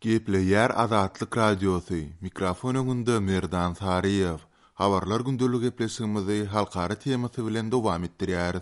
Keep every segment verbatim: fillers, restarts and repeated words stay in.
Gepleýär Azatlyk Radiosy, mikrofon öňünde Merdan Saryýew. Habarlar gündelik gepleşigimizi halkara temasy bilen dowam etdirýäris.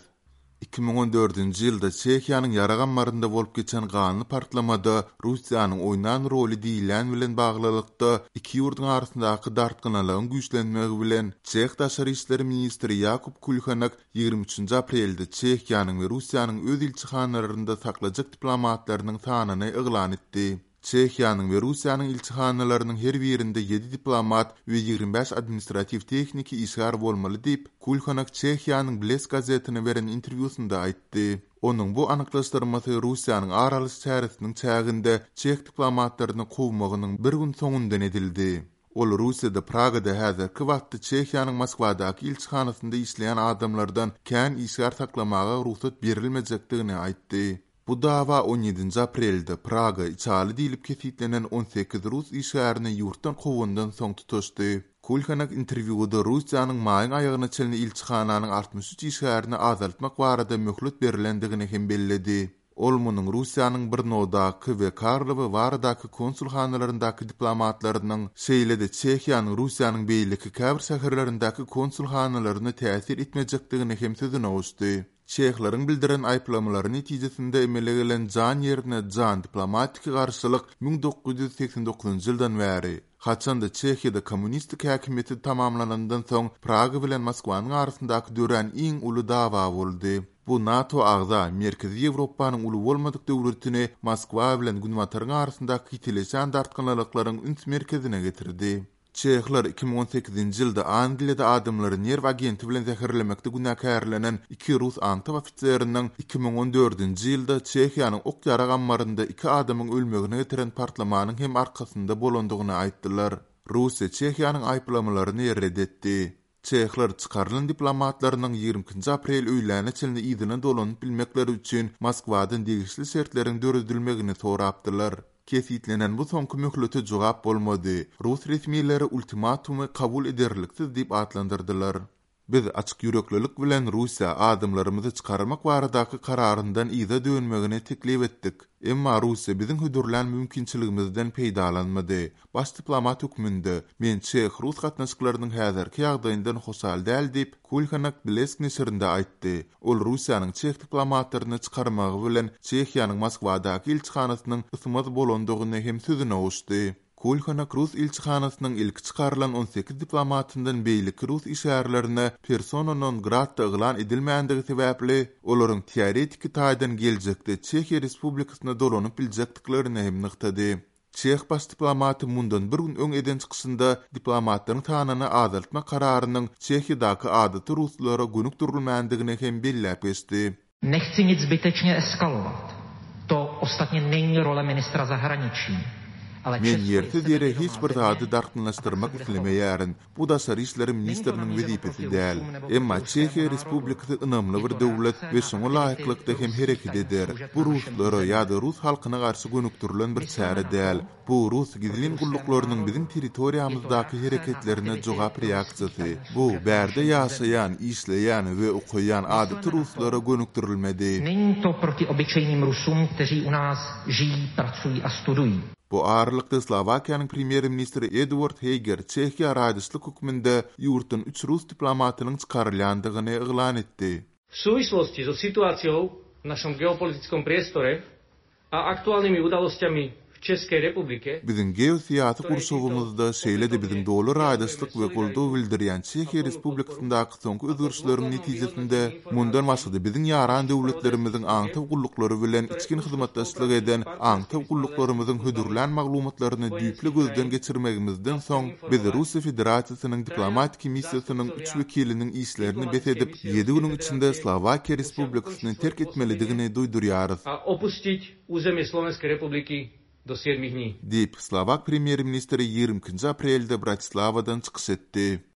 Iki müň on dördünji ýylda Çehiýanyň ýarag ammarynda bolup geçen ganly partlamada Russiýanyň oýnan roly diýilýän bilen baglylykda iki ýurduň arasyndaky dartgynlylygyň güýçlenmegi bilen Çeh daşary işler ministri Ýakub Kulhanek ýigrimi üçünji aprelde Çehiýanyň we Russiýanyň öz ilçihanalarynda saklajak diplomatlarynyň sanyny yglan etdi. Çehiýanyň we Russiýanyň ilçihanalarynyň her birinde ýedi diplomat we ýigrimi bäş administratiw-tehniki işgär bolmaly diýip, Kulhanek Çehiýanyň Blesk gazetine beren interwýusynda aýtdy. Onuň bu anyklaşdyrmasy Russiýanyň ar alyş çäresiniň çäginde çeh diplomatlaryny kowmagynyň bir gün soňundan edildi. Ol Russiýada Pragada häzirki wagtda Çehiýanyň Moskwadaky ilçihanasynda işleýän adamlardan kän işgär saklamaga rugsat berilmejekdigini aýtdy. Bu dawa on ýedinji aprelde Praga içaly diýlip kesgitlenen on sekiz rus işgärini ýurtdan kowandan soň tutaşdy. Kulhanek interwýuda Russiýanyň maýyň aýagyna çenli ilçihananyň altmyş üç işgärini azaltmak barada möhlet berlendigini hem belledi. Ol munuň Russiýanyň Brnodaky we Karlowy Waradaky konsulhanalaryndaky diplomatlarynyň, şeýle-de Çehiýanyň Russiýanyň beýleki käbir şäherlerindäki konsulhanalaryna täsir etmejekdigini hem sözüne goşdy. Çehleriň bildiren aýyplamalary netijesinde emele gelen jan ýerine jan diplomatiki garşylyk müň dokuz ýüz segsen dokuzynjy ýyldan bäri, haçanda Çehiýada kommunistik häkimiýeti tamamlanandan soň Praga bilen Moskwanyň arasyndaky dörän iň uly dawa boldy. Bu NATO agza Merkezi Ýewropanyň uly bolmadyk döwletini Moskwa bilen Günbataryň arasyndaky ýitileşen dartgynlyklaryň üns merkezine getirdi. Çehler iki müň on sekizinji ýylda Angliýada adamlary nerw agenti bilen zäherlemekde günäkärlenen iki rus aňtaw ofiseriniň iki müň on dördünji ýylda Çehiýanyň ok-ýarag ammarynda iki adamyň ölmegine getiren partlamanyň hem arkasynda bolandygyny aýtdylar. Russiýa Çehiýanyň aýyplamalaryny red etdi. Çehler çykarylan diplomatlarynyň ýigrimi ikinji aprel öýläne çenli yzyna dolanyp bilmekleri üçin Moskwadan degişli şertleriň döredilmegini sorapdylar. Kesgitlenen bu soňky möhlete jogap bolmady. Rus resmileri ultimatumy kabul ederliksiz diýip atlandyrdylar. Biz açyk ýüreklilik bilen Russiýa adamlarymyzy çykarmak baradaky kararyndan yza dönmegini teklip etdik. Emma Russiýa biziň hödürlän mümkinçiligimizden peýdalanmady. Baş diplomat hökmünde men çeh-rus gatnaşyklarynyň häzirki ýagdaýyndan hoşal däl diýip, Kulhanek Blesk neşirinde aýtdy. Ol Russiýanyň çeh diplomatlaryny çykarmagy bilen Çehiýanyň Moskwadaky ilçihanasynyň ysmaz bolandygyny hem sözüne goşdy. Kulhanek rus ilçihanasynyň ilki çykarylan on sekiz diplomatyndan beýleki rus işgärlerine persona non grata yglan edilmändigi sebäpli, olaryň teoretiki taýdan geljekde Çehiýa Respublikasyna dolanyp biljekdiklerini hem nygtady. Çeh baş diplomaty mundan bir gün öň eden çykyşynda diplomatlaryň sanyny azaltmak kararynyň Çehiýadaky adaty ruslara gönükdirilmändigini hem belläp geçdi. Nechci nic zbytečně eskalovat. To ostatně není role ministra zahraničí. Ale Men Česko je ýersiz ýere sebevědomá hiç bir země zady a tak se dartgynlaşdyrmak bude chovat. islemeýärin. Bu daşary işler Není to ministriniň namířeno wezipesi proti däl. Rusům nebo Emma proti ruskému Çehiýa národu. Respublikasy ynamly Je bir to döwlet reakce we na şoňa aktivity laýyklykda hem ruských hereket tajných eder. služeb Bu na našem ruslara území. ýa-da rus halkyna garşy gönükdirilen bir Mysleme çäre na däl. to, Bu rus proti gizlin ruskému gulluklarynyň národu. biziň Je to territoriýamyzdaky reakce na hereketlerine aktivity jogap ruských reaksiýasy. tajných Bu služeb na bärde našem území. ýaşaýan, işleýän we okaýan adaty Mysleme na to, ruslara gönükdirilmedi. Není to proti obyčejným Rusům, kteří u nás žijí, pracují a studují. Bu aralykda Slowakiýanyň premýer-ministri Eduard Heger Çehiýa raýdaşlyk hökmünde ýurtdan üç rus diplomatynyň çykarylýandygyny yglan etdi. V súvislosti so situáciou v našom geopolitickom priestore a aktuálnymi udalosťami v Českej republike, Biziň geosyýasy ktoré gurşawymyzda, títo şeýle-de biziň opätovne doly vyjadrujeme raýdaşlyk we goldaw solidaritu bildirýän a Çehiýa plnú podporu Respublikasyndaky soňky a po özgerişleriň dôkladnom netijesinde vyhodnotení mundan informácií başga-da biziň ýaran našich döwletlerimiziň spravodajských aňtaw služieb, gulluklary bilen ktoré içgin úzko hyzmatdaşlyk spolupracujú s eden aňtaw partnerskými gulluklarymyzyň spravodajskými službami hödürlän maglumatlaryny düýpli vojenských gözden krajín geçirmegimizden a soň chcem biz informovať, Russiýa Federasiýasynyň traja diplomatiki missiýasynyň üç zástupcovia wekiliniň işlerini bes diplomatickej edip, misie ýedi Ruskej günüň içinde federácie Slowakiýa musia ukončiť Respublikasyny svoje terk pôsobenie etmelidigini duýdurýarys. a opustiť územie Slovenskej republiky do siedmich dní. Diýip, Slowak premýer-ministri ýigrimi ikinji aprelde Bratislavadan çykyş etdi.